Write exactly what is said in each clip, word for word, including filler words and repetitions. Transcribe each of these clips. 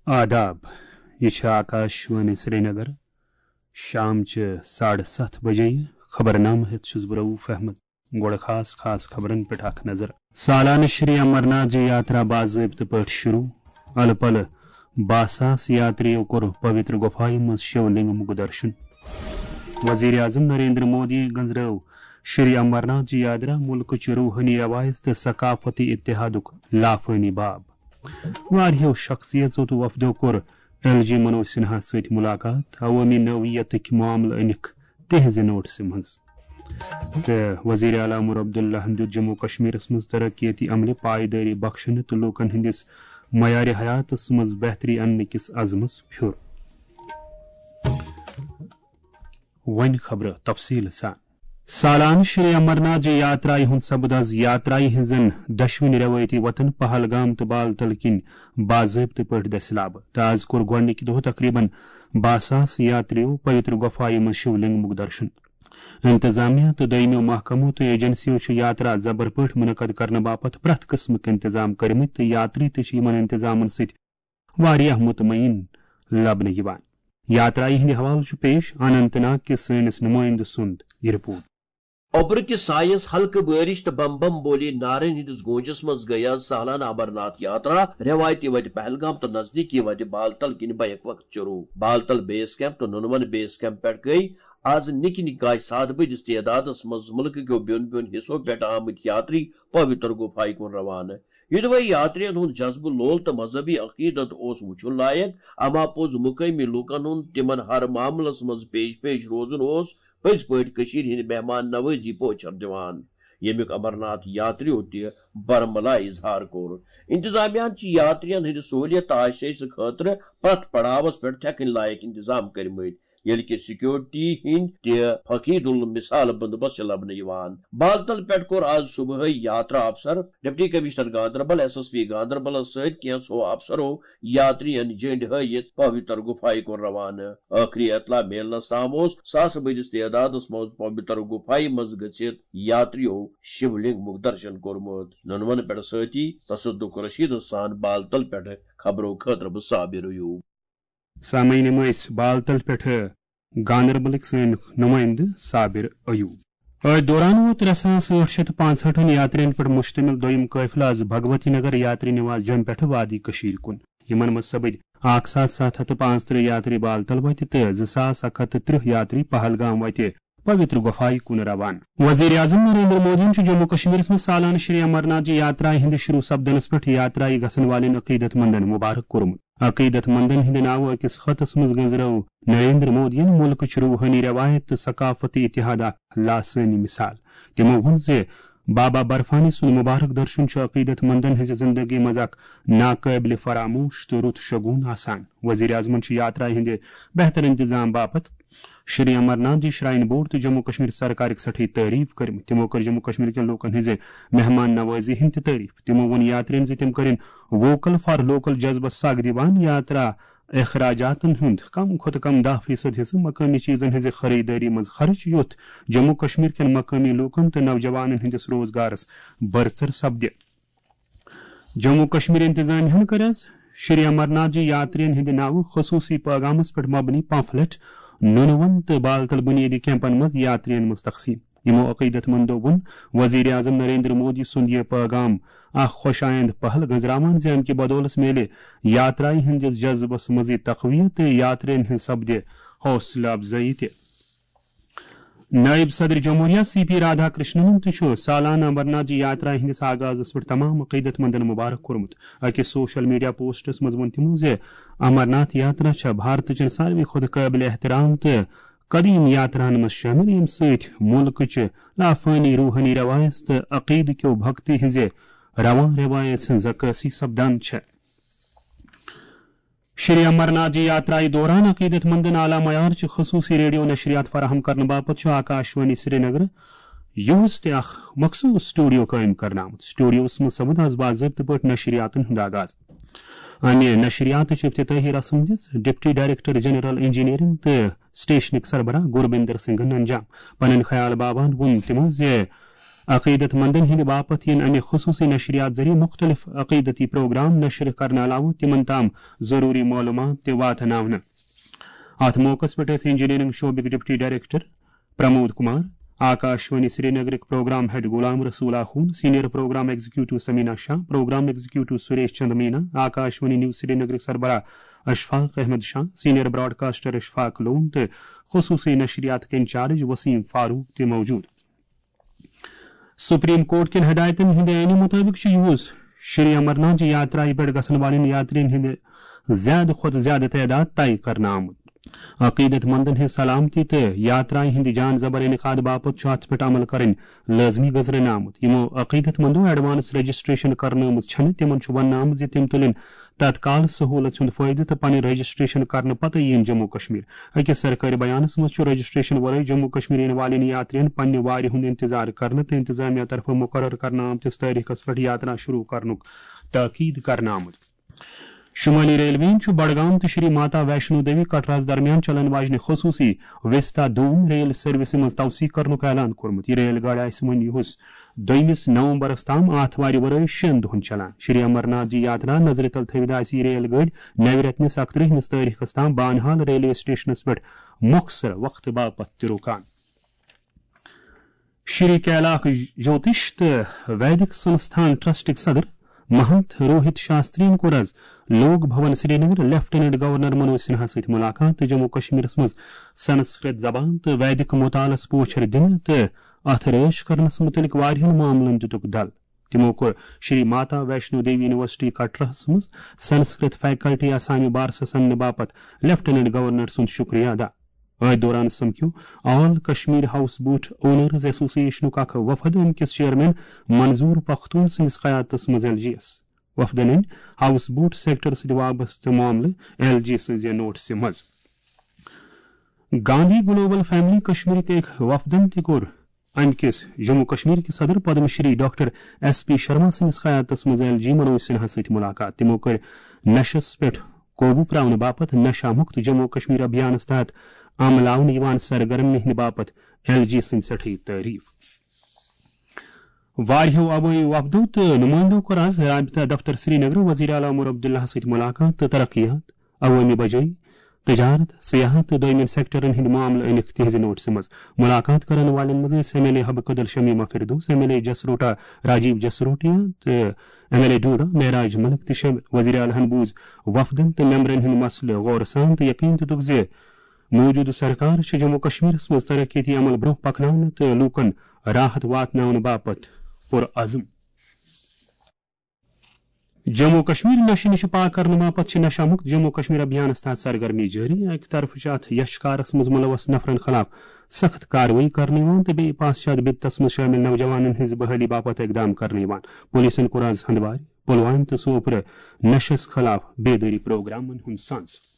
آداب، یہِ چھِ آکاش وانی سرینگر۔ شام چہِ ساڑٕ ستھ بجے۔ خبرنامہٕ ہٮ۪تھ چھُس بہٕ رؤف احمد۔ گۄڈٕ خاص خاص خبرن پٮ۪ٹھ اکھ نظر۔ سالانہٕ شری امرناتھ جی یاترا باضٲبطہٕ پٲٹھۍ شروع۔ الہٕ پلہٕ باہ ساس یاتریو کوٚر پویتر گۄپھایہِ منٛز شیو لنگمُک درشن۔ وزیر اعظم نریندر مودی گنزرٲو شری امرناتھ جی یاترا ملکٕچ روحٲنی روایژ تہٕ ثقافتی اتحادُک لافٲنی باب۔ واریاہو شخصیژو تہٕ وفدو کوٚر ایل جی منوج سنہاہس سۭتۍ ملاقات، عوٲمی نوعیتٕکۍ معاملہٕ أنِکھ تِہنٛزِ نوٹسہِ منٛز۔ تہٕ وزیر اعلیٰ عمر عبداللہن دیُت جموں کشمیرس منٛز ترقیتی عملہِ پایدٲری بخشنہٕ تہٕ لوٗکن ہٕنٛدِس معیارِ حیاتس منٛز بہتری اننہٕ کِس عزمس پھیُر۔ وۄنۍ خبرٕ تفصیٖل سان۔ سالانہٕ شری امرناتھ جی یاترایہِ ہُنٛد سپُد از یاترایہِ ہٕنٛزن دۄشوٕنی رٮ۪وٲیتی وطن پہلگام تہٕ بالتل کِنۍ باضٲبطہٕ پٲٹھۍ دٔسِلابہٕ، تہٕ از کوٚر گۄڈٕنِکہِ دۄہ تقریباً باہ ساس یاتریو پویتر گۄپھایہِ منٛز شِو لنگمُک درشن۔ انتظامیہ تہٕ دوٚیمیو محکمو تہٕ ایجنسیو چھِ یاترا زبر پٲٹھۍ منعقد کرنہٕ باپتھ پرٛٮ۪تھ قٕسمٕک انتظام کٔرمٕتۍ، تہٕ یاتری تہِ چھِ یِمن انتظامن سۭتۍ واریاہ مطمئن لبنہٕ یِوان۔ یاترایہِ ہٕنٛدِ حوالہٕ چھُ پیش اننت ناگ کِس سٲنِس نُمٲیندٕ سُنٛد یہِ رپورٹ۔ اوٚبرٕ کِس سایس، ہلکہٕ بٲرِش تہٕ بم بم بولی نارن ہٕنٛدِس گوٗنجس منٛز گٔیہِ از سالانہٕ امرناتھ یاترا رٮ۪وایتی وتہِ پہلگام تہٕ نزدیٖکی وتہِ بالتل کِنۍ بیک وقت شروع۔ بالتل بیس کیمپ تہٕ نُنون بیس کیمپ پٮ۪ٹھ گٔیہِ از نِکہِ نِکہِ کاے سادٕ بٔدِس تعدادس منٛز مُلکہٕ کیو بیوٚن بیوٚن حصو پٮ۪ٹھ آمٕتۍ یاتری پویتر گُفایہِ کُن روانہٕ۔ یوٚدوے یاترین ہُنٛد جذبہٕ لول تہٕ مذہبی عقیدت اوس وُچھُن لایق، اما پوٚز مُقٲمی لوٗکن ہُنٛد تِمن ہر معاملس منٛز پیش پیش روزُن اوس پٔزۍ پٲٹھۍ کٔشیٖرِ ہٕنٛدِ مہمان نوٲزی پوچھر دِوان، ییٚمیُک امرناتھ یاتریو تہِ برملا اظہار کوٚر۔ انتظامیہ ہن چھِ یاترین ہٕنٛدِ سہوٗلیت تہٕ آشٲیشہِ خٲطرٕ پرٛٮ۪تھ پڑاوس پٮ۪ٹھ تھٮ۪کٕنۍ لایق انتظام کٔرمٕتۍ، ییٚلہِ کہِ سیکیورٹی ہٕنٛدۍ تہِ فقید المثال بندوبست چھِ لبنہٕ یِوان۔ بالتل پٮ۪ٹھ کوٚر آز صبحٲے یاترا افسر، deputy commissioner Ganderbal, S S P گاندربلس سۭتۍ کینٛژھو افسرو یاترین جنڈ ہٲوِتھ پویتر گُفایہِ کُن روانہٕ۔ ٲخری اطلاع میلنس تام اوس ساسہٕ بٔدِس تعدادس منٛز پویتر گُفایہِ منٛز گٔژھِتھ یاتریو شِو لنگمُک درشن کوٚرمُت۔ نُنون پٮ۪ٹھ سۭتی تصدق رشیدس سان بالتل پٮ۪ٹھ خبرو خٲطرٕ بہٕ صابر ایوب۔ سامعین، یِم ٲسۍ بالتل پٮ۪ٹھ گاندربلٕکۍ سٲنۍ نُمٲیندٕ صابر ایوب۔ أتھۍ دوران ووت ترٛےٚ ساس ٲٹھ شیٚتھ تہٕ پانٛژہٲٹھن یاترین پٮ۪ٹھ مشتمل دوٚیِم قٲفلہٕ از بھگوتی نگر یاتری نواس جوٚمہِ پٮ۪ٹھ وادی کٔشیٖرِ کُن۔ یِمن منٛز سپٕدۍ اکھ ساس ستھ ہتھ تہٕ پانٛژترٕہ یاتری بالتل وتہِ تہٕ زٕ ساس اکھ ہتھ تہٕ ترٕٛہ یاتری پہلگام وتہِ پویتر گۄپھایہِ کُن روانہٕ۔ وزیر اعظم نریندر مودیَن چھُ جموں کشمیرس منٛز سالانہٕ شری امرناتھ جی یاترایہِ ہٕنٛدِ شروع سپدنس پٮ۪ٹھ یاترایہِ گژھن والٮ۪ن عقیدت مندن مبارک کوٚرمُت۔ عقیدت مندن ہٕنٛدِ ناوٕ أکِس خطس منٛز گنزرٲو نریندر مودیَن ملکٕچ روحٲنی رٮ۪وایت تہٕ ثقافتی اتحاد اکھ لاسٲنی مثال۔ تِمو ووٚن زِ بابا برفانی سُنٛد مبارک درشن چھُ عقیدت مندن ہٕنٛزِ زندگی منٛز اکھ ناقٲبلِ فراموش تہٕ رُت شگون آسان۔ وزیر اعظمَن چھُ یاترایہِ ہٕنٛدِ بہتر انتظام باپتھ شری امرناتھ جی شراین بورڈ تہٕ جموں کشمیر سرکارٕکۍ سٮ۪ٹھٕے تعریف کٔرمٕتۍ۔ تِمو کٔر جموں کشمیر کٮ۪ن لوٗکن ہٕنٛزِ مہمان نوازی ہٕنٛدۍ تہِ تعریف۔ تِمو ووٚن یاترین زِ تِم کٔرِن ووکل فار لوکل جذبس سگ دِوان، یاترا اخراجاتن ہُنٛد کم کھۄتہٕ کم دَہ فیصد حصہٕ مقٲمی چیزن ہٕنٛزِ خریدٲری منٛز خرٕچ، یُتھ جموں کشمیر کٮ۪ن مقٲمی لوٗکن تہٕ نوجوانن ہٕنٛدِس روزگارس برسر سپدِ۔ جموں کشمیر انتظامیہ ہن کٔر از شری امرناتھ جی یاترین ہٕنٛدِ ناوٕ خصوصی پیغامس پٮ۪ٹھ مبنی پمفلٹ نُنون تہٕ بالتل بنیٲدی کیمپن منٛز یاترین منٛز تقسیم۔ یِمو عقیدت مندو ووٚن وزیر اعظم نریندر مودی سُنٛد یہِ پیغام اکھ خۄش آیند پہل گنزراوان زِ امہِ کہِ بدولس میلہِ یاترایہِ ہٕنٛدِس جذبس مزید تقویت تہٕ یاترین ہٕنٛز سپدِ حوصلہٕ افزٲیی تہِ۔ نائب صدر جمہوریہ سی پی رادھا کرشنن تہِ چھُ سالانہٕ امرناتھ جی یاترا ہٕنٛدِس آغازس پٮ۪ٹھ تمام عقیدت مندن مبارک کوٚرمُت۔ أکِس سوشل میڈیا پوسٹس منٛز ووٚن تِمو زِ امرناتھ یاترا چھےٚ بھارتٕچن ساروی کھۄتہٕ قٲبلِ احترام تہٕ قدیم یاتراہن منٛز شٲمِل، ییٚمہِ سۭتۍ مُلکٕچہِ لافٲنی روحٲنی رٮ۪وایژ تہٕ عقیدٕ کیو بھکتی ہٕنٛزِ رواں رٮ۪وایژ ہٕنٛز عکٲسی سپدان چھےٚ۔ شری امرناتھ جی یاترایہِ دوران عقیدت مندن اعلیٰ معیار چہِ خصوصی ریڈیو نشریات فراہم کرنہٕ باپتھ چھُ آکاش وانی سرینگر یُہُس تہِ اکھ مخصوص سٹوڈیو قٲیِم کرنہٕ آمُت۔ سٹوڈیوس منٛز سپُد از باضٲبطہٕ پٲٹھۍ نشریاتن ہُنٛد آغاز۔ امہِ نشریاتٕچ افتتاحی رسم دِژ ڈپٹی ڈائریکٹر جنرل انجینئرنگ تہٕ سٹیشنٕکۍ سربراہ گوربندر سنگھن انجام۔ پنٕنۍ خیال باوان ووٚن تِمو زِ عقیدت مندن ہٕنٛدِ باپتھ یِن امہِ خصوٗصی نشریات ذٔریعہٕ مُختٔلِف عقیدتی پروگرام نشر کرنہٕ علاوٕ تِمن تام ضروٗری معلوٗمات تہِ واتناونہٕ۔ اتھ موقعس پٮ۪ٹھ ٲسۍ انجینئرنگ شعبٕکۍ ڈپٹی ڈائریکٹر پرمود کمار، آکاشوانی سرینگرٕکۍ programme head Ghulam Rasool Akhoon, senior programme executive Samina Shah, programme executive Suresh Chand Meena, Akashvani news سرینگرٕکۍ سربراہ اشفاق احمد شاہ، سینئر براڈکاسٹر اشفاق لون تہٕ خصوٗصی نشریاتٕکۍ انچارج وسیم فاروق تہِ موجود۔ سپریم کورٹ کٮ۪ن ہدایتن ہٕنٛدِ عینہٕ مُطٲبِق چھُ یُہُس شری امرناتھ جی یاترایہِ پٮ۪ٹھ گژھن والٮ۪ن یاترین ہٕنٛدِ زیادٕ کھۄتہٕ زیادٕ تعداد طے کرنہٕ آمُت۔ عقیدت مندن ہٕنٛز سلامتی تہٕ یاترایہِ ہٕنٛدِ جان زبر انعقاد باپتھ چھُ اتھ پٮ۪ٹھ عمل کرٕنۍ لٲزمی گزرنہٕ آمُت۔ یِمو عقیدت مندو ایڈوانس رجسٹریشن کرنٲومٕژ چھنہٕ، تِمن چھُ وننہٕ آمُت زِ تِم تُلن تتکال سہولت ہُنٛد فٲیدٕ تہٕ پنٕنۍ رجسٹریشن کرنہٕ پتہٕ یِن جموں کشمیر۔ أکِس سرکٲرۍ بیانَس منٛز چھُ رجسٹریشن ورٲے جموں کشمیر یِنہٕ والٮ۪ن یاترین پننہِ وارِ ہُنٛد انتظار کرنہٕ تہٕ انتظامیہ طرفہٕ مقرر کرنہٕ آمتِس تٲریخس پٮ۪ٹھ یاترا شروع کرنُک تاکید کرنہٕ آمُت۔ شمٲلی ریلوے یَن چھُ بڈگام تہٕ شری ماتا ویشنو دیوی کٹراہَس درمیان چلن واجنہِ خصوٗصی وستا دوٗن ریل سروسہِ منٛز توسیع کرنُک اعلان کوٚرمُت۔ یہِ ریل گاڑِ آسہِ وۄنۍ یُہُس دوٚیمِس نومبرس تام آتھوارِ ورٲے شٮ۪ن دۄہن چلان۔ شری امرناتھ جی یاترا نظرِ تل تھٲوِتھ آسہِ یہِ ریل گٲڑۍ نوِ رٮ۪تہٕ نِس اَکترٛہمِس تٲریخس تام بانہال ریلوے سٹیشنس پٮ۪ٹھ مۄخصر وقتہٕ باپتھ تہِ رُکان۔ شری کیلاک جوتش تہٕ ویدک سنستھان ٹرسٹٕکۍ صدر مہنت روہت شاسترین کوٚر از لوک بھون سرینگر لیفٹیننٹ گورنر منوج سنہا سۭتۍ ملاقات تہٕ جموں کشمیرس منٛز سنسکرت زبان تہٕ ویدک مطالعس پوچھر دِنہٕ تہٕ اتھ رٲچھ کرنس متعلق واریاہن معاملن دِتُکھ دل۔ تِمو کوٚر شری ماتا ویشنو دیوی یونیورسٹی کٹراہس منٛز سنسکرت فیکلٹی آسامہِ بارسس اننہٕ باپتھ لیفٹیننٹ گورنر سُنٛد شکریہ ادا۔ أتھۍ دوران سمکھیو آل کشمیر ہاؤس بوٹ اونرز ایسوسی ایشنُک اکھ وفد، امہِ کِس چیئرمین منظور پختون سٕنٛدِس قیادتس منٛز ایل جی یس۔ وفدن أنۍ ہاؤس بوٹ سیکٹر سۭتۍ وابستہٕ معاملہٕ ایل جی سٕنٛزِ نوٹسہِ منٛز۔ گاندھی گلوبل فیملی کشمیرٕکۍ أکۍ وفدن تہِ کوٚر امہِ کِس جموں کشمیر کہِ صدر Padma Shri doctor S P Sharma سٕنٛدِس قیادتس منٛز ایل جی منوج سنہا سۭتۍ ملاقات۔ تِمو کٔر نشس پٮ۪ٹھ قوبو پراونہٕ باپتھ نشہ مکت جموں کشمیر ابھیانس تحت عملاونہٕ یِوان سرگرمی ہٕنٛدِ باپتھ ایل جی سٕنٛز سٮ۪ٹھٕے تعریف۔ واریاہو عوٲمی وفدو تہٕ نمٲیندو کوٚر از رابطہ دفتر سرینگر وزیر اعلیٰ عمر عبداللہ سۭتۍ ملاقات تہٕ ترقیات، عوٲمی بجٲیی، تجارت، سیاحت تہٕ دوٚیمٮ۪ن سیکٹرن ہٕنٛدۍ معاملہٕ أنِکھ تِہنٛزِ نوٹسہِ منٛز۔ ملاقات کرن والٮ۪ن منٛز ٲسۍ M L A Habba Kadal Shamima Firdous, M L A Jasrota Rajiv Jasrotia تہٕ M L A Doda Mehraj Malik تہِ شٲمِل۔ وزیر اعلیٰ ہن بوٗز وفدن تہٕ ممبرن ہٕنٛدۍ مسلہٕ غورٕ سان تہٕ یقین دِتُکھ زِ موجودٕ سرکار چھِ جموں کشمیرس منٛز ترقیتی عمل برونٛہہ پکناونہٕ تہٕ لوٗکن راحت واتناونہٕ باپتھ پُرعزم۔ جموں کشمیر نشہٕ نِش پاک کرنہٕ باپتھ چھِ نشہ مکت جموں کشمیر ابھیانس تحت سرگرمی جٲری۔ اکہِ طرفہٕ چھِ اتھ یشکارس منٛز ملوث نفرن خلاف سخت کاروٲیی کرنہٕ یِوان تہٕ بیٚیہِ پاسچات بدتس منٛز شٲمِل نوجوانن ہٕنٛز بحٲلی باپتھ اقدام کرنہٕ یِوان۔ پولیسن کوٚر از ہندوارِ، پلوامہِ تہٕ سوپرٕ نشس خلاف بیدٲری پروگرامن ہُنٛد سنز۔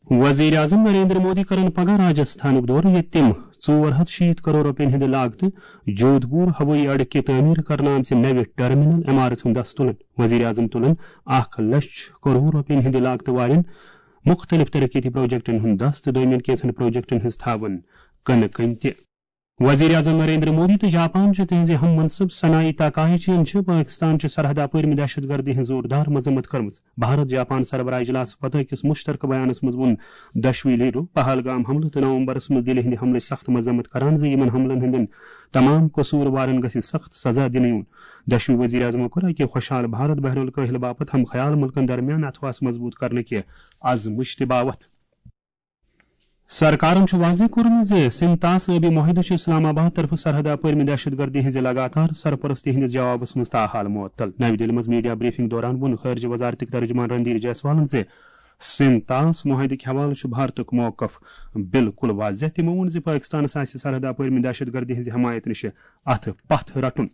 وزیر اعظم نریندر مودی کرن پگاہ راجستھانُک دورٕ، ییٚتہِ تِم ژور ہتھ شیٖتھ کرور رۄپین ہٕنٛدِ لاگتہٕ جودھپور ہوٲیی اڈٕ کہِ تعمیٖر کرنہٕ آمژِ نوِ ٹرمینل عمارژ ہُنٛد دس تُلن۔ وزیر اعظم تُلن اکھ لچھ کرور رۄپین ہٕنٛدِ لاگتہٕ والٮ۪ن مُختٔلِف ترقیتی پروجیکٹن ہُنٛد دس تہٕ دوٚیمٮ۪ن کینٛژن پروجیکٹن ہٕنٛز تھاوَن کٕنہٕ کٔنۍ تہِ۔ وزیر اعظم نریندر مودی تہٕ جاپان چہِ تِہنٛزِ ہم منصب سنائی تاکائیچی ین چھِ پٲکستان چہِ سرحد اپٲرۍ دہشت گردی ہٕنٛز زوردار مذمت کٔرمٕژ۔ بھارت جاپان سربراہ اجلاسہٕ پتہٕ أکِس مُشترکہٕ بیانس منٛز ووٚن دۄشوٕے لیڈرو پہلگام حملہٕ تہٕ نومبرس منٛز دِلہِ ہٕنٛدِ حملٕچ سخت مذمت کران زِ یِمن حملن ہٕنٛدٮ۪ن تمام قصوٗروارن گژھِ سخت سزا دِنہٕ یُن۔ دۄشوٕے وزیر اعظمو کوٚر اکہِ خوشحال بھارت بحر الکاہل باپتھ ہم خیال ملکن درمیان اتھواس مضبوط کرنہٕ کہِ عزمٕچ تہِ باوتھ۔ سرکارن چھُ واضح کوٚرمُت زِ سنتاس ٲبی معاہدٕ چھُ اسلام آباد طرفہٕ سرحد اپٲرۍ دہشت گردی ہٕنٛزِ لگاتار سرپرستی ہٕنٛدِس جوابس منٛز تاحال معطل۔ نَوِ دِلہِ منٛز میڈیا بریفنگ دوران ووٚن خارجہ وزارتٕکۍ ترجمان رندھیر جیسوالن زِ سنتاس معاہدٕ کہِ حوالہٕ چھُ بھارتُک موقف بالکل واضح۔ تِمو ووٚن زِ پٲکستانس آسہِ سرحد اپٲرۍ دہشت گردی ہٕنٛزِ حمایت نِش اتھٕ پتھ رٹُن۔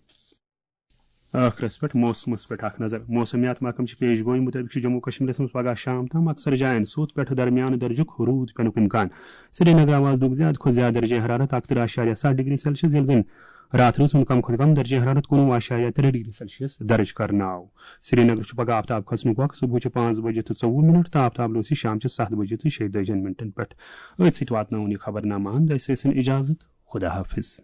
ٲخرس پٮ۪ٹھ موسمس پٮ۪ٹھ اکھ نظر۔ موسمیات محکمہٕ چہِ پیش گویی مُطٲبِق چھُ جموں کشمیرس منٛز پگہہ شام تام اکثر جاین سوٚت پٮ۪ٹھٕ درمیانہٕ درجُک روٗد پینُک امکان۔ سرینگر آواز دُک زیادٕ کھۄتہٕ زیادٕ درجہ حرارت اکترٕہ اعشاریہ ستھ ڈگری سیلسیس، ییٚلہِ زن راتھ روٗد ہُنٛد کم کھۄتہٕ کم درجہ حرارت کُنوُہ اعشاریہ ترٛےٚ ڈگری سیلسیس درج کرنہٕ آو۔ سرینگرس چھُ پگہہ آفتاب کھسنُک وقت صبحٕچہِ پانٛژھ بجہِ تہٕ ژوٚوُہ منٹ تہٕ آفتاب لوسہِ شامچہِ ستھ بجہِ تہٕ شیٚیہِ تٲجِہن منٹن پٮ۪ٹھ۔ أتھۍ سۭتۍ واتناوُن یہِ خبرنامہٕ اند۔ اَسہِ ٲسِن اجازت۔ خدا حافظ۔